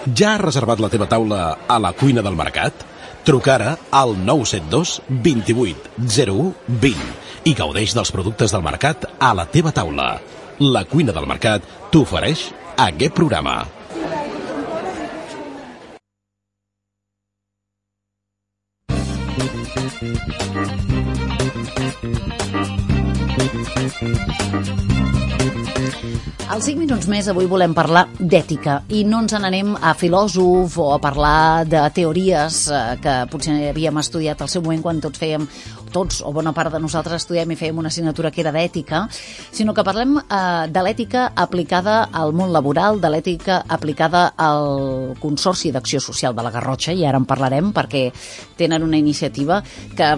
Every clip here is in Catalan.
Ja has reservat la teva taula a la cuina del mercat? Truca ara al 972 28 01 20 i gaudeix dels productes del mercat a la teva taula. La cuina del mercat t'ofereix aquest programa. Als 5 minuts més avui volem parlar d'ètica i no ens n'anem a filòsof o a parlar de teories que potser havíem estudiat al seu moment quan tots o bona part de nosaltres estudiem i fèiem una assignatura que era d'ètica, sinó que parlem de l'ètica aplicada al món laboral, de l'ètica aplicada al Consorci d'Acció Social de la Garrotxa, i ara en parlarem perquè tenen una iniciativa que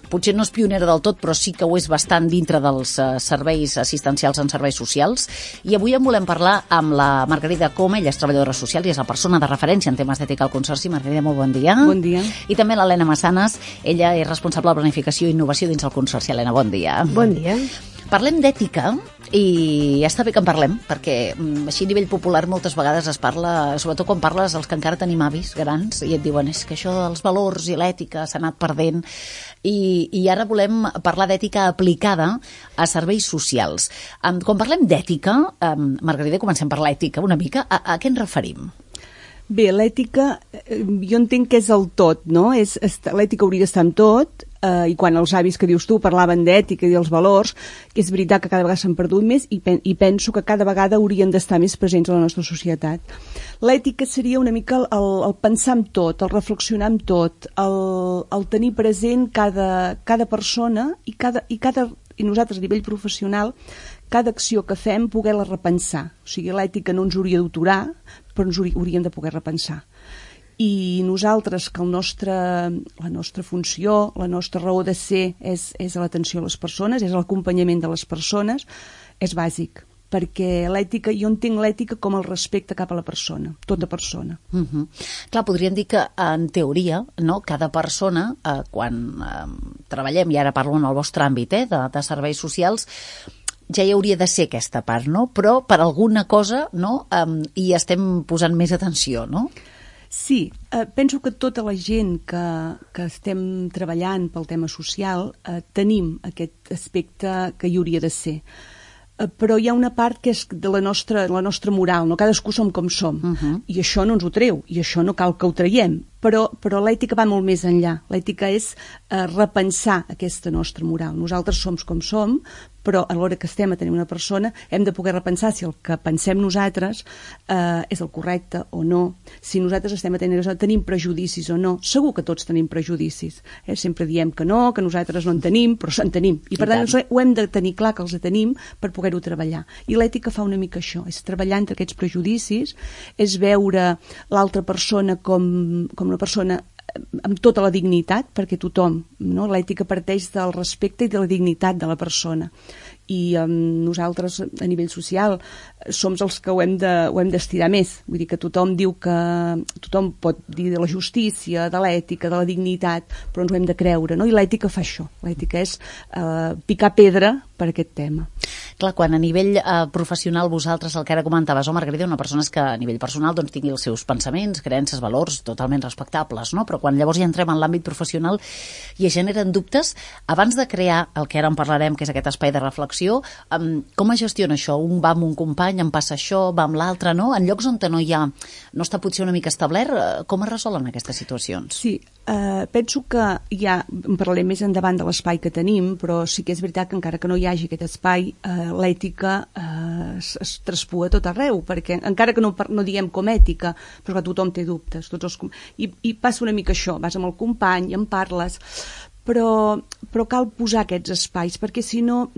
potser no és pionera del tot, però sí que ho és bastant dintre dels serveis assistencials en serveis socials. I avui en volem parlar amb la Margarida Coma, ella és treballadora social i és la persona de referència en temes d'ètica al Consorci. Margarida, molt bon dia. Bon dia. I també l'Helena Massanes, ella és responsable de planificació i innovació dins el Consorci. Helena, bon dia. Bon dia. Parlem d'ètica i està bé que en parlem, perquè així a nivell popular moltes vegades es parla, sobretot quan parles dels que encara tenim avis grans i et diuen és que això dels valors i l'ètica s'ha anat perdent i ara volem parlar d'ètica aplicada a serveis socials. Quan parlem d'ètica, Margarida, comencem per l'ètica una mica, a què ens referim? Bé, l'ètica, jo entenc que és el tot, no? L'ètica hauria d'estar en tot, i quan els avis que dius tu parlaven d'ètica i dels valors, que és veritat que cada vegada s'han perdut més i penso que cada vegada haurien d'estar més presents a la nostra societat. L'ètica seria una mica el pensar en tot, el reflexionar en tot, el tenir present cada persona i nosaltres a nivell professional cada acció que fem poder-la repensar. O sigui, l'ètica no ens hauria d'aturar, però ens hauríem de poder repensar. I nosaltres, que la nostra funció, la nostra raó de ser és l'atenció a les persones, és l'acompanyament de les persones, és bàsic. Perquè l'ètica, jo entenc l'ètica com el respecte cap a la persona, tota persona. Clar, podríem dir que en teoria, no, cada persona, quan treballem, i ara parlo en el vostre àmbit de serveis socials, ja hi hauria de ser aquesta part, no? Però per alguna cosa, no, hi estem posant més atenció, no? Sí, penso que tota la gent que estem treballant pel tema social tenim aquest aspecte que hi hauria de ser. Però hi ha una part que és de la nostra moral, no? Cadascú som com som, i això no ens ho treu, i això no cal que ho traiem, però l'ètica va molt més enllà. L'ètica és repensar aquesta nostra moral. Nosaltres som com som, però a l'hora que estem atenent una persona hem de poder repensar si el que pensem nosaltres és el correcte o no, si nosaltres estem atenent, tenim prejudicis o no. Segur que tots tenim prejudicis. Sempre diem que no, que nosaltres no en tenim, però en tenim. I per tant ho hem de tenir clar que els tenim per poder-ho treballar. I l'ètica fa una mica això, és treballar entre aquests prejudicis, és veure l'altra persona com una persona amb tota la dignitat, perquè tothom, no? L'ètica parteix del respecte i de la dignitat de la persona. I nosaltres, a nivell social, som els que ho hem d'estirar més. Vull dir que tothom diu que tothom pot dir de la justícia, de l'ètica, de la dignitat, però ens ho hem de creure, no? I l'ètica fa això. L'ètica és picar pedra per aquest tema. Clar, quan a nivell professional vosaltres, el que ara comentaves, Margarida, una persona és que a nivell personal doncs, tingui els seus pensaments, creences, valors totalment respectables, no? Però quan llavors ja entrem en l'àmbit professional i es generen dubtes, abans de crear el que ara en parlarem, que és aquest espai de reflexió, com es gestiona això? Un va amb un company, em passa això, va amb l'altre, no? En llocs on no està potser una mica establert, com es resolen aquestes situacions? Sí, penso que en parlarem més endavant de l'espai que tenim, però sí que és veritat que encara que no hi hagi aquest espai, l'ètica es traspua a tot arreu, perquè encara que no diguem com ètica, però que tothom té dubtes. I passa una mica això, vas amb el company, en parles, però cal posar aquests espais, perquè si no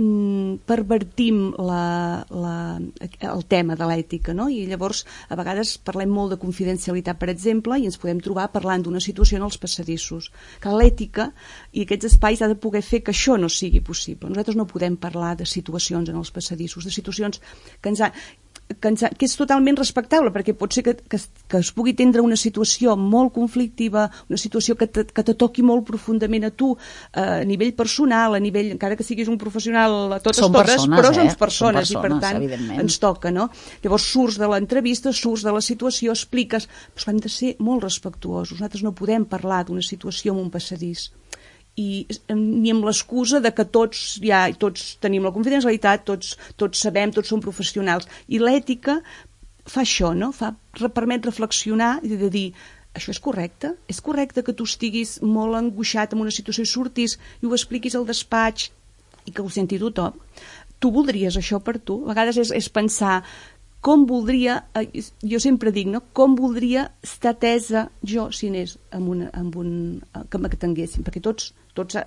pervertim el tema de l'ètica, no? I llavors a vegades parlem molt de confidencialitat, per exemple, i ens podem trobar parlant d'una situació en els passadissos. Que l'ètica i aquests espais ha de poder fer que això no sigui possible. Nosaltres no podem parlar de situacions en els passadissos, de situacions que que és totalment respectable, perquè pot ser que es pugui tindre una situació molt conflictiva, una situació que te toqui molt profundament a tu, a nivell personal, a nivell, encara que siguis un professional a totes, però som persones, i per tant ens toca, no? Llavors surts de l'entrevista, surts de la situació, expliques, però hem de ser molt respectuosos. Nosaltres no podem parlar d'una situació en un passadís, i ni amb l'excusa de que tots tenim la confidencialitat, tots sabem, tots som professionals, i l'ètica fa això, no? Permet reflexionar i de dir, això és correcte? És correcte que tu estiguis molt angoixat en una situació i surtis i ho expliquis al despatx i que ho senti tothom? Tu voldries això per tu? A vegades és pensar com voldria, jo sempre dic, no? Com voldria estar atesa jo si anés que m'atenguessin, perquè tots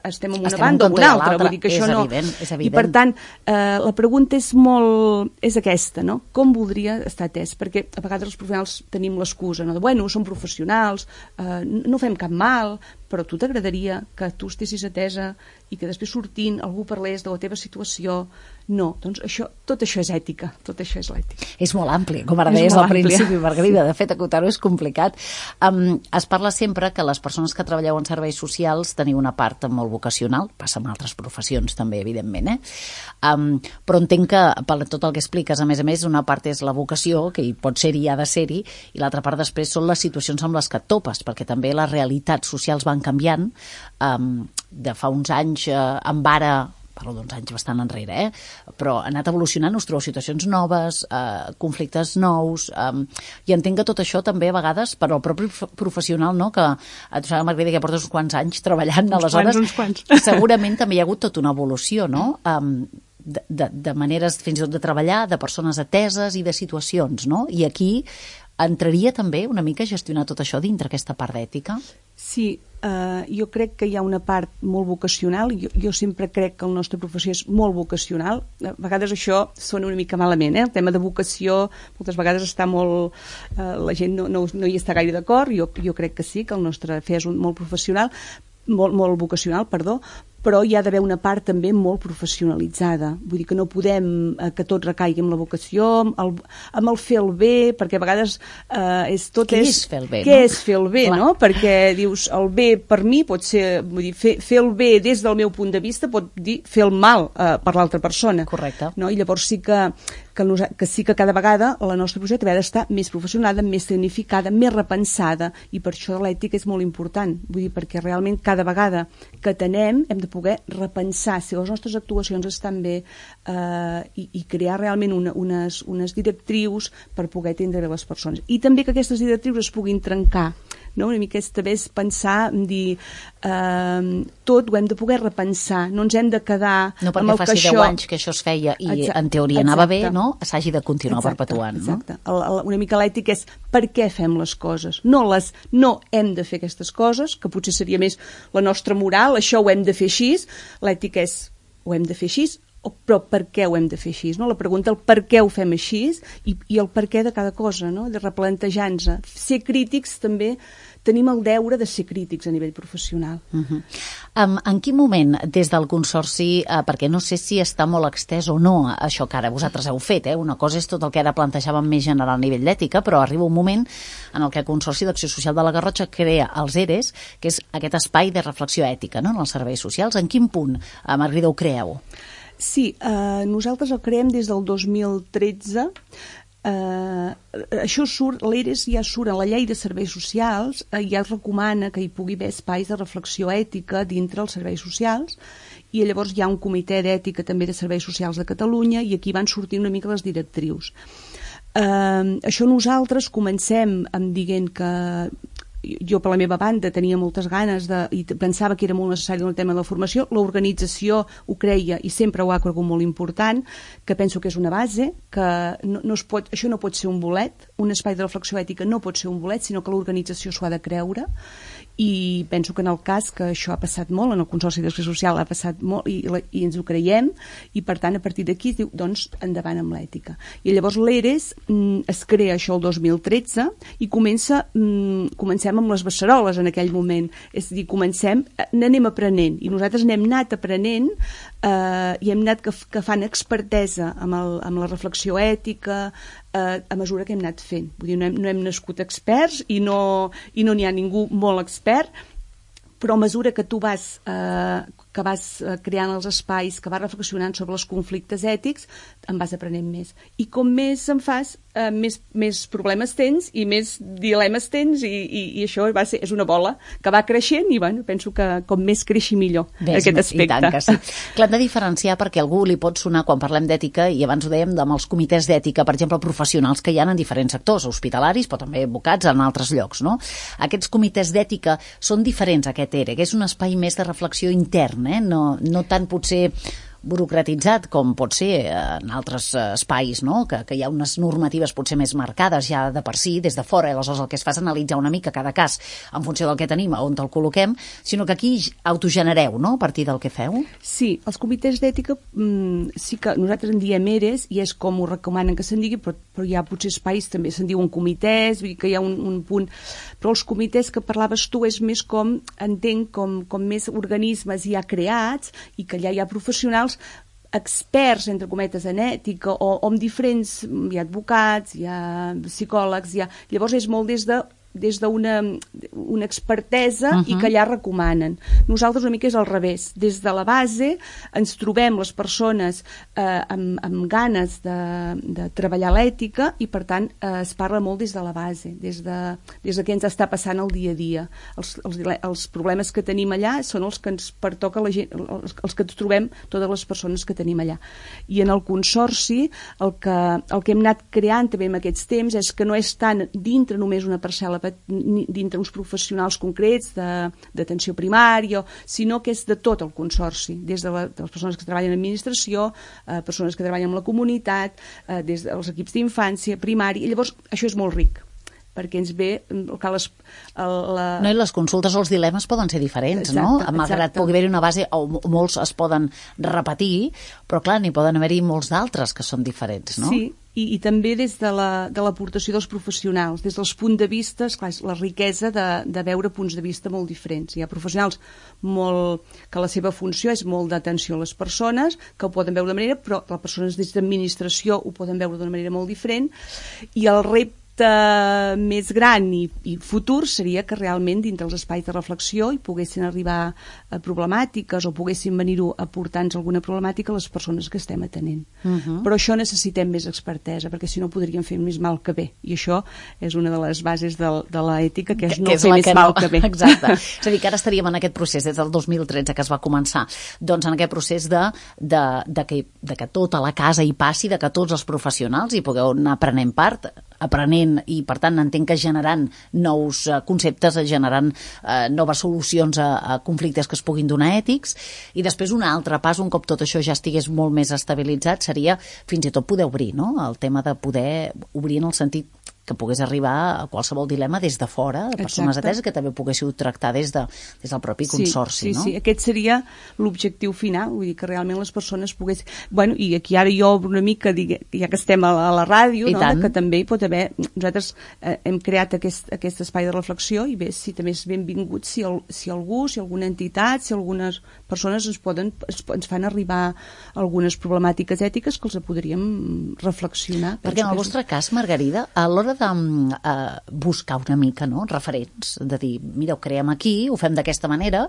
estem en una banda o una altra, vull dir que això no... És evident. I per tant, la pregunta és aquesta, no? Com voldria estar atès? Perquè a vegades els professionals tenim l'excusa, no? De, bueno, som professionals, no fem cap mal, però a tu t'agradaria que tu estessis atesa i que després sortint algú parlés de la teva situació. No, doncs tot això és ètica, tot això és l'ètica. És molt ampli, com ara deies al principi, Margarida. De fet, acotar-ho és complicat. Es parla sempre que les persones que treballeu en serveis socials teniu una part molt vocacional, passa en altres professions també, evidentment, però entenc que per tot el que expliques, a més, una part és la vocació, que hi pot ser-hi i ha de ser-hi, i l'altra part després són les situacions amb les que et topes, perquè també les realitats socials van canviant. De fa uns anys, amb ara, parlo d'uns anys bastant enrere, però ha anat evolucionant, us trobeu situacions noves, conflictes nous, i entenc que tot això també a vegades per al propi professional, no? Que tu saps, Margarida, que portes uns quants anys treballant, aleshores segurament també hi ha hagut tota una evolució, no? De maneres fins i tot de treballar, de persones ateses i de situacions, no? I aquí entraria també una mica a gestionar tot això dintre aquesta part d'ètica? Sí, jo crec que hi ha una part molt vocacional. Jo sempre crec que la nostra professió és molt vocacional. A vegades això sona una mica malament, el tema de vocació moltes vegades està molt... la gent no hi està gaire d'acord. Jo crec que sí, que el nostre fer és molt professional, molt vocacional, perdó, però hi ha d'haver una part també molt professionalitzada. Vull dir que no podem que tot recaigui amb la vocació, amb el fer el bé, perquè a vegades Què és fer el bé? Què és fer el bé, no? Perquè dius, el bé per mi pot ser, vull dir, fer el bé des del meu punt de vista pot dir fer el mal per l'altra persona. Correcte. No? I llavors sí que sí que cada vegada la nostra professió ha d'estar més professionada, més tecnificada, més repensada, i per això l'ètica és molt important. Vull dir, perquè realment cada vegada que tenem hem de poder repensar si les nostres actuacions estan bé i crear realment unes directrius per poder atendre les persones. I també que aquestes directrius es puguin trencar, no? Una mica també és pensar, dir tot ho hem de poder repensar, no ens hem de quedar no amb el que això... No perquè faci 10 anys que això es feia i en teoria anava bé, no? S'hagi de continuar perpetuant. Exacte. Una mica l'ètica és per què fem les coses, no hem de fer aquestes coses, que potser seria més la nostra moral, això ho hem de fer així, l'ètica és ho hem de fer així, però per què ho hem de fer així, no? La pregunta, el per què ho fem així i el per què de cada cosa, no? De replantejar-nos. Ser crítics també, tenim el deure de ser crítics a nivell professional. En quin moment, des del Consorci, perquè no sé si està molt extès o no això que ara vosaltres heu fet, una cosa és tot el que ara plantejàvem més general a nivell d'ètica, però arriba un moment en el que el Consorci d'Acció Social de la Garrotxa crea els ERES, que és aquest espai de reflexió ètica, no?, en els serveis socials. En quin punt, Margarida, ho creeu? Sí, nosaltres el creem des del 2013. Això surt, l'ERES ja surt a la llei de serveis socials, ja recomana que hi pugui haver espais de reflexió ètica dintre els serveis socials, i llavors hi ha un comitè d'ètica també de serveis socials de Catalunya, i aquí van sortir una mica les directrius. Això nosaltres comencem dient que jo per la meva banda tenia moltes ganes i pensava que era molt necessari el tema de la formació, l'organització ho creia i sempre ho ha cregut molt important, que penso que és una base, que això no pot ser un bolet, un espai de reflexió ètica no pot ser un bolet, sinó que l'organització s'ho ha de creure, i penso que en el cas que això ha passat molt, en el Consorci d'Acció Social ha passat molt i ens ho creiem, i per tant a partir d'aquí es diu, doncs endavant amb l'ètica. I llavors l'ERES es crea això el 2013 i comencem amb les beceroles en aquell moment, és a dir, n'anem aprenent, i nosaltres n'hem anat aprenent i hem anat que fan expertesa amb la reflexió ètica a mesura que hem anat fent. Vull dir, no hem nascut experts i no n'hi ha ningú molt expert, però a mesura que tu vas creant els espais, que vas reflexionant sobre els conflictes ètics, en vas aprenent més. I com més en fas, més problemes tens i més dilemes tens, i això és una bola que va creixent, i bueno, penso que com més creixi millor aquest aspecte. I tant que sí. Clar, hem de diferenciar, perquè a algú li pot sonar, quan parlem d'ètica, i abans ho dèiem, amb els comitès d'ètica, per exemple, professionals que hi ha en diferents sectors, hospitalaris, però també advocats en altres llocs, no? Aquests comitès d'ètica són diferents a aquest ERE, que és un espai més de reflexió intern, no tant potser burocratitzat com pot ser en altres espais, no? Que hi ha unes normatives potser més marcades ja de per si, des de fora, i aleshores el que es fa és analitzar una mica cada cas en funció del que tenim, on te'l col·loquem, sinó que aquí autogenereu, no?, a partir del que feu. Sí, els comitès d'ètica sí que nosaltres en diem ERES, i és com ho recomanen que se'n digui, però hi ha potser espais, també se'n diuen comitès, vull dir que hi ha un punt, però els comitès que parlaves tu és més com, entenc, com més organismes ja creats, i que allà hi ha professionals experts, entre cometes, en ètica, o amb diferents, hi ha advocats, hi ha psicòlegs, llavors és molt des d'una expertesa i que allà recomanen. Nosaltres una mica és al revés. Des de la base ens trobem les persones amb ganes de treballar l'ètica, i per tant es parla molt des de la base, des de què ens està passant el dia a dia. Els problemes que tenim allà són els que ens pertoca la gent, els que ens trobem totes les persones que tenim allà. I en el consorci el que hem anat creant també en aquests temps és que no és tant dintre només una parcel·la, dintre uns professionals concrets d'atenció primària, sinó que és de tot el consorci, des de les persones que treballen en administració, persones que treballen amb la comunitat, des dels equips d'infància, primària, i llavors això és molt ric, perquè ens ve No, i les consultes o els dilemes poden ser diferents, no? Malgrat pugui haver-hi una base, o molts es poden repetir, però clar, n'hi poden haver-hi molts d'altres que són diferents, no? Sí, i també des de l'aportació dels professionals, des dels punts de vista, esclar, la riquesa de veure punts de vista molt diferents. Hi ha professionals que la seva funció és molt d'atenció a les persones, que ho poden veure d'una manera, però les persones des d'administració ho poden veure d'una manera molt diferent, i el repte més gran i futur seria que realment dintre els espais de reflexió hi poguessin arribar a problemàtiques, o poguessin venir-ho a portar-nos alguna problemàtica a les persones que estem atenent. Però això necessitem més expertesa, perquè si no podríem fer més mal que bé, i això és una de les bases de l'ètica, que és no fer més mal que bé. Exacte. És a dir, que ara estaríem en aquest procés des del 2013 que es va començar, doncs en aquest procés de que tota la casa hi passi, de que tots els professionals hi pugueu anar prenent part, i per tant entenc que generant nous conceptes, generant noves solucions a conflictes que es puguin donar ètics, i després un altre pas, un cop tot això ja estigués molt més estabilitzat, seria fins i tot poder obrir, no? El tema de poder obrir en el sentit que pogués arribar a qualsevol dilema des de fora, de persones ateses, que també poguéssiu tractar des del propi consorci, no? Sí, aquest seria l'objectiu final, vull dir que realment les persones poguessin... Bueno, i aquí ara jo obro una mica, ja que estem a la ràdio, no? Que també hi pot haver... Nosaltres hem creat aquest espai de reflexió, i bé, si també és benvingut si algú, si alguna entitat, si algunes persones ens fan arribar algunes problemàtiques ètiques que els podríem reflexionar. Perquè en el vostre cas, Margarida, a l'hora de buscar una mica, no?, referents, de dir, mira, ho creem aquí, ho fem d'aquesta manera,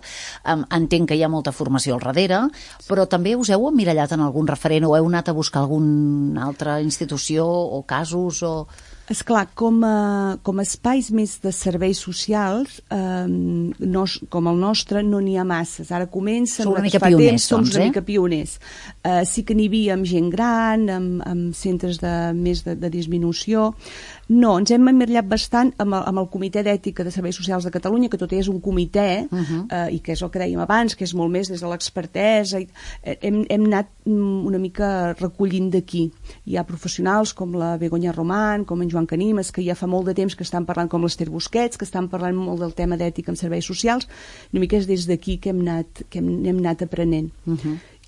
entenc que hi ha molta formació al darrere, però també us heu emmirallat en algun referent, o heu anat a buscar alguna altra institució o casos, o... Esclar, com a espais més de serveis socials, com el nostre, no n'hi ha masses. Ara comencen... Som una mica pioners, som una mica pioners. Sí que n'hi havia amb gent gran, amb centres més de disminució. No, ens hem emmirallat bastant amb el Comitè d'Ètica de Serveis Socials de Catalunya, que tot és un comitè, i que és el que dèiem abans, que és molt més des de l'expertesa. Hem anat una mica recollint d'aquí. Hi ha professionals com la Begoña Román, com en Joan Canimes, que ja fa molt de temps que estan parlant, com l'Ester Busquets, que estan parlant molt del tema d'ètica en serveis socials. Una mica és des d'aquí que hem anat aprenent.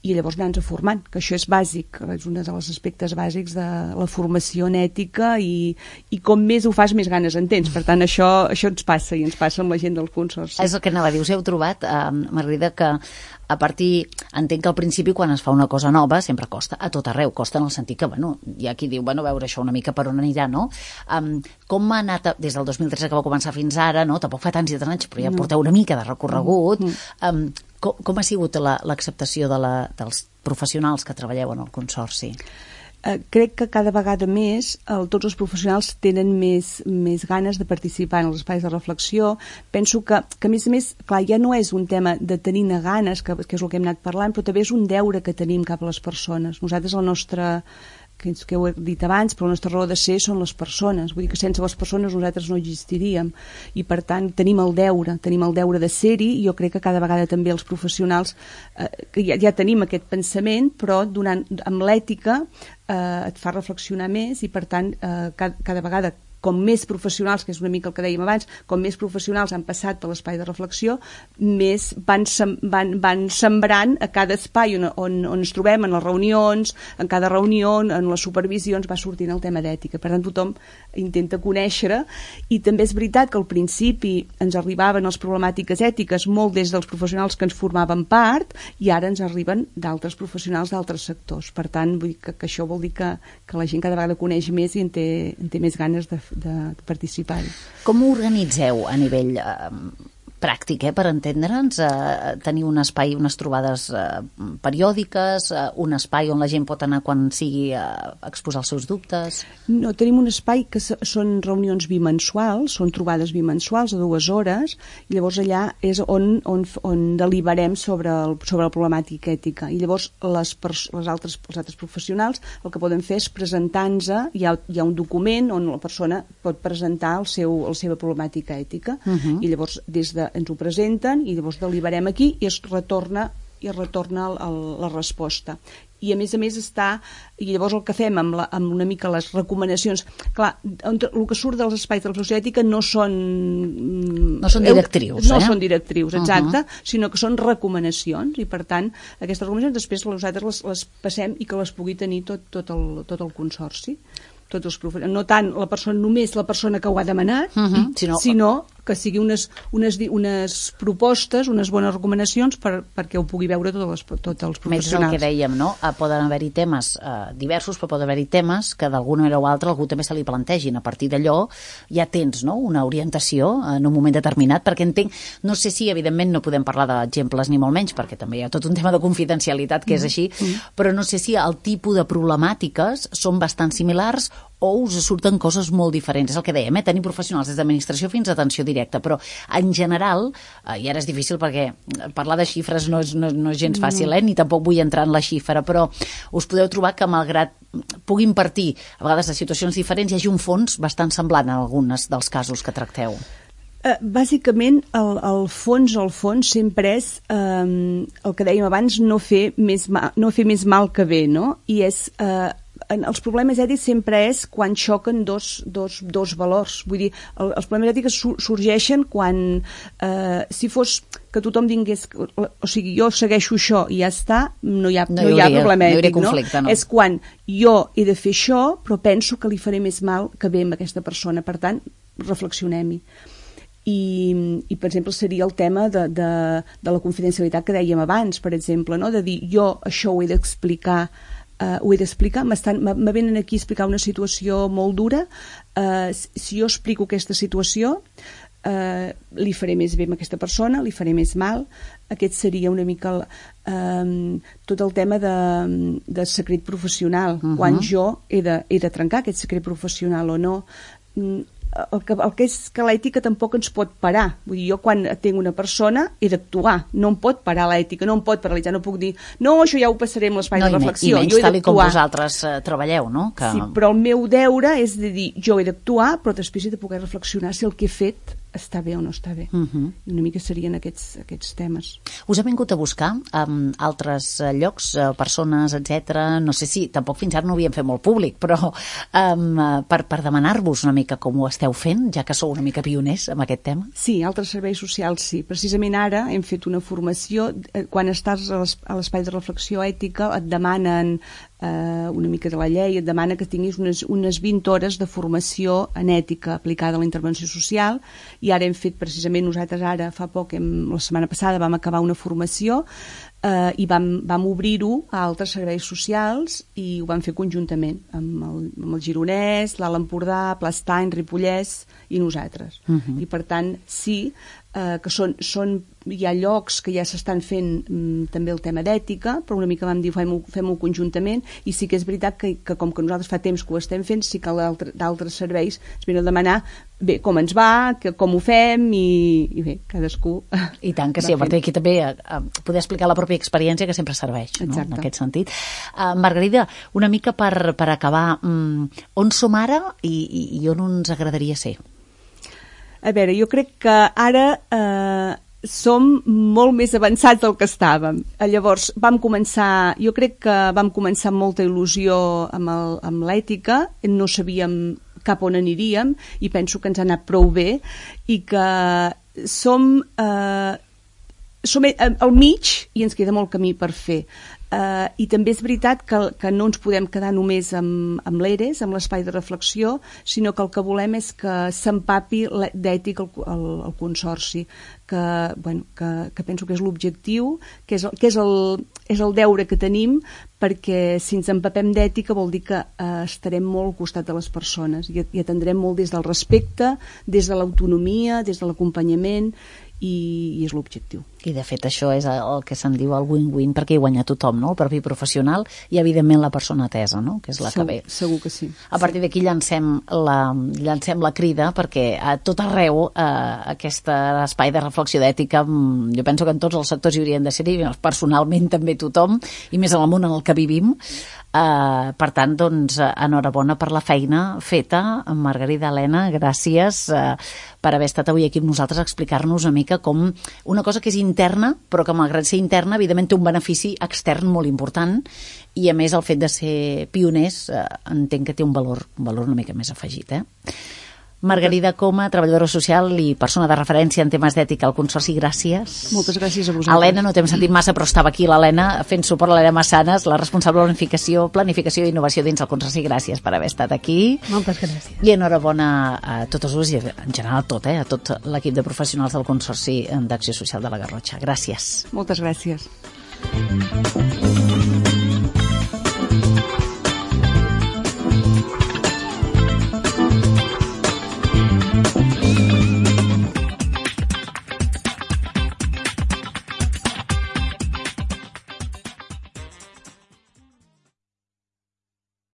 i llavors anar-nos formant, que això és bàsic, és un dels aspectes bàsics de la formació en ètica i com més ho fas, més ganes en tens. Per tant, això ens passa i ens passa amb la gent del Consorci. És el que anava a dir, us heu trobat, Margarida, que a partir, entenc que al principi quan es fa una cosa nova sempre costa, a tot arreu, costa en el sentit que, hi ha qui diu, veure això una mica per on anirà, no? Com ha anat des del 2013 que va començar fins ara, no? Tampoc fa tants i tants anys, però ja porteu una mica de recorregut. Com ha sigut l'acceptació dels professionals que treballeu en el Consorci? Crec que cada vegada més tots els professionals tenen més ganes de participar en els espais de reflexió. Penso que a més, clar, ja no és un tema de tenir-ne ganes, que és el que hem anat parlant, però també és un deure que tenim cap a les persones. Nosaltres, el nostre, que ho he dit abans, però la nostra raó de ser són les persones. Vull dir que sense les persones nosaltres no existiríem. I, per tant, tenim el deure de ser-hi, i jo crec que cada vegada també els professionals, que ja tenim aquest pensament, però amb l'ètica et fa reflexionar més i, per tant, cada vegada com més professionals, que és una mica el que dèiem abans, com més professionals han passat per l'espai de reflexió, més van sembrant a cada espai on ens trobem, en les reunions, en cada reunió, en les supervisions, va sortint el tema d'ètica. Per tant, tothom intenta conèixer, i també és veritat que al principi ens arribaven les problemàtiques ètiques molt des dels professionals que ens formaven part, i ara ens arriben d'altres professionals d'altres sectors. Per tant, vull dir que això vol dir que la gent cada vegada coneix més i en té més ganes de participar-hi. Com ho organitzeu a nivell pràctic, per entendre'ns? Teniu un espai, unes trobades periòdiques, un espai on la gent pot anar quan sigui a exposar els seus dubtes? No, tenim un espai que són reunions bimensuals, són trobades bimensuals de 2 hores, i llavors allà és on deliberem sobre la problemàtica ètica. I llavors els altres professionals el que poden fer és presentar-nos, hi ha un document on la persona pot presentar la seva problemàtica ètica, i llavors ens ho presenten i llavors deliberem aquí i es retorna la resposta. I a més i llavors el que fem amb una mica les recomanacions, clar, el que surt dels espais de reflexió ètica no són directrius, no són directrius, exacte, sinó que són recomanacions, i per tant aquestes recomanacions després nosaltres les passem i que les pugui tenir tot el Consorci, tots els professionals, no tant només la persona que ho ha demanat, sinó que sigui unes propostes, unes bones recomanacions perquè ho pugui veure tots els professionals. Més el que dèiem, no? Poden haver-hi temes diversos, però poden haver-hi temes que d'alguna manera o altra algú també se li plantegin. A partir d'allò ja tens, no?, una orientació en un moment determinat, perquè entenc, no sé si evidentment no podem parlar d'exemples ni molt menys, perquè també hi ha tot un tema de confidencialitat que és així, però no sé si el tipus de problemàtiques són bastant similars o us surten coses molt diferents. És el que dèiem, tenir professionals des d'administració fins a atenció directa, però en general, i ara és difícil perquè parlar de xifres no és gens fàcil, ni tampoc vull entrar en la xifra, però us podeu trobar que malgrat puguin partir a vegades de situacions diferents, hi hagi un fons bastant semblant en alguns dels casos que tracteu. Bàsicament, el fons sempre és el que dèiem abans, no fer més mal que bé, no? I és els problemes ètics sempre és quan xoquen dos valors. Vull dir, els problemes ètics sorgeixen quan, si fos que tothom digués, o sigui, jo segueixo això i ja està, no hi ha problema ètic, no? És quan jo he de fer això, però penso que li faré més mal que bé amb aquesta persona. Per tant, reflexionem-hi. I, per exemple, seria el tema de la confidencialitat que dèiem abans, per exemple, no? De dir, jo això ho he d'explicar, me venen aquí a explicar una situació molt dura, si jo explico aquesta situació li faré més bé amb aquesta persona, li faré més mal. Aquest seria una mica tot el tema de secret professional, quan jo he de trencar aquest secret professional o no. El que és que l'ètica tampoc ens pot parar. Vull dir, jo quan tinc una persona he d'actuar, no em pot parar l'ètica, no em pot paralitzar, no puc dir, no, això ja ho passaré amb l'espai de reflexió. I menys tal com vosaltres treballeu, no? Sí, però el meu deure és de dir, jo he d'actuar, però després he de poder reflexionar si el que he fet està bé o no està bé. I una mica serien aquests temes. Us ha vingut a buscar altres llocs, persones, etc. No sé si, tampoc fins ara no ho havíem fet molt públic, però per demanar-vos una mica com ho esteu fent, ja que sou una mica pioners amb aquest tema? Sí, altres serveis socials sí. Precisament ara hem fet una formació. Quan estàs a l'espai de reflexió ètica et demanen una mica de la llei, et demana que tinguis unes 20 hores de formació en ètica aplicada a la intervenció social, i ara hem fet precisament, nosaltres ara fa poc, la setmana passada vam acabar una formació i vam obrir-ho a altres serveis socials i ho vam fer conjuntament amb el Gironès, l'Alt Empordà, Plastany, Ripollès i nosaltres. I per tant sí que hi ha llocs que ja s'estan fent també el tema d'ètica, però una mica vam dir fem-ho conjuntament, i sí que és veritat que com que nosaltres fa temps que ho estem fent, sí que d'altres serveis es venen a demanar bé, com ens va, com ho fem, i bé, cadascú... I tant que sí, a partir d'aquí també poder explicar la pròpia experiència que sempre serveix, no? En aquest sentit. Margarida, una mica per acabar, on som ara i on ens agradaria ser? A veure, jo crec que ara som molt més avançats del que estàvem. Llavors, jo crec que vam començar amb molta il·lusió amb l'ètica, no sabíem cap on aniríem i penso que ens ha anat prou bé i que som al mig i ens queda molt camí per fer. I també és veritat que no ens podem quedar només amb l'ERES, amb l'espai de reflexió, sinó que el que volem és que s'empapi d'ètica el Consorci, que penso que és l'objectiu, que és el deure que tenim, perquè si ens empapem d'ètica vol dir que estarem molt al costat de les persones i atendrem molt des del respecte, des de l'autonomia, des de l'acompanyament, i és l'objectiu. I de fet això és el que se'n diu el win-win, perquè hi guanya tothom, no? El propi professional i evidentment la persona atesa, no? Que és la que ve. Segur que sí. A partir d'aquí llancem la crida perquè a tot arreu aquest espai de reflexió d'ètica, jo penso que en tots els sectors hi haurien de ser-hi, personalment també tothom, i més en el món en el que vivim. Per tant, doncs, enhorabona per la feina feta. Margarida, Helena, gràcies per haver estat avui aquí amb nosaltres a explicar-nos una mica com una cosa que és interna, però que malgrat ser interna, evidentment té un benefici extern molt important, i a més el fet de ser pioners entenc que té un valor una mica més afegit. Margarida Coma, treballadora social i persona de referència en temes d'ètica al Consorci, gràcies. Moltes gràcies a vosaltres. Helena, no t'hem sentit massa, però estava aquí l'Helena fent suport a l'Helena Massanes, la responsable de planificació i innovació dins el Consorci. Gràcies per haver estat aquí. Moltes gràcies. I enhorabona a totes us i en general a tot l'equip de professionals del Consorci d'Acció Social de la Garrotxa. Gràcies. Moltes gràcies.